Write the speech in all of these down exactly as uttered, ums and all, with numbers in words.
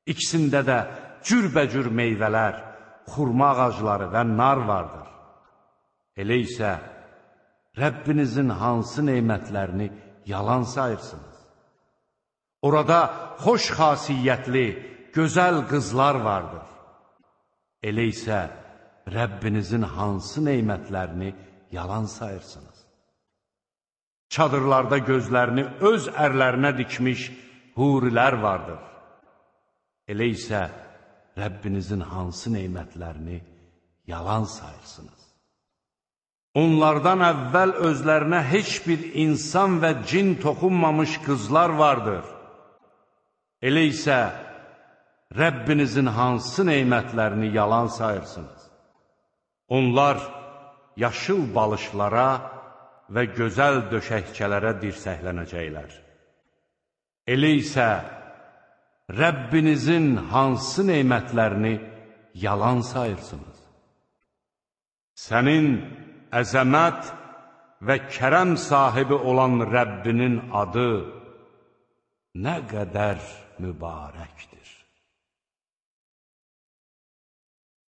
İkisində də cürbəcür meyvələr, xurma ağacları və nar vardır. Elə isə Rəbbinizin hansı neymətlərini yalan sayırsınız? Orada xoş xasiyyətli, gözəl qızlar vardır. Elə isə Rəbbinizin hansı neymətlərini yalan sayırsınız? Çadırlarda gözlərini öz ərlərinə dikmiş hurilər vardır. Elə isə Rəbbinizin hansı neymətlərini yalan sayırsınız? Onlardan əvvəl özlərinə heç bir insan və cin toxunmamış qızlar vardır. Elə isə Rəbbinizin hansı neymətlərini yalan sayırsınız? Onlar yaşıl balışlara və gözəl döşəkçələrə dirsəklənəcəklər. Elə isə Rəbbinizin hansı neymətlərini yalan sayırsınız? Sənin əzəmət və kərəm sahibi olan Rəbbinin adı nə qədər mübarəkdir.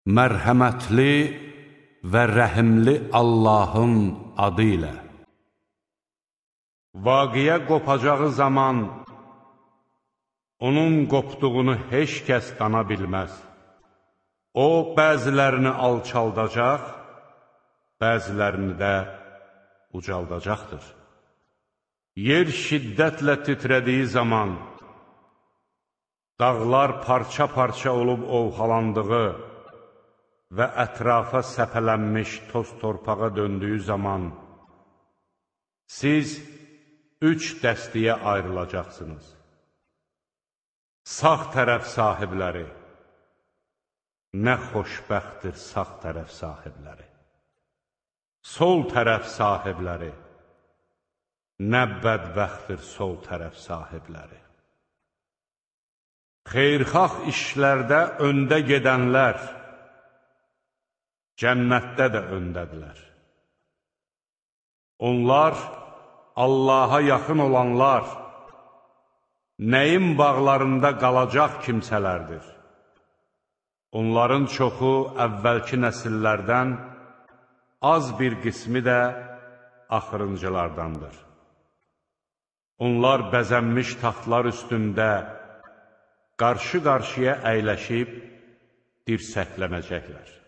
Mərhəmətli və rəhimli Allahın adı ilə. Vaqiyə qopacağı zaman onun qopduğunu heç kəs dana bilməz. O, bəzilərini alçaldacaq, bəzilərini də ucaldacaqdır. Yer şiddətlə titrədiyi zaman, dağlar parça-parça olub ovxalandığı və ətrafa səpələnmiş toz torpağa döndüyü zaman, siz üç dəstəyə ayrılacaqsınız. Sağ tərəf sahibləri, nə xoşbəxtdir sağ tərəf sahibləri. Sol tərəf sahibləri, nə bədbəxtdir sol tərəf sahibləri. Xeyrxax işlərdə öndə gedənlər, cənnətdə də öndədirlər. Onlar, Allaha yaxın olanlar, nəyin bağlarında qalacaq kimsələrdir. Onların çoxu əvvəlki nəsillərdən, az bir qismi də axırıncılardandır. Onlar bəzənmiş taxtlar üstündə qarşı-qarşıya əyləşib dirsəklənəcəklər.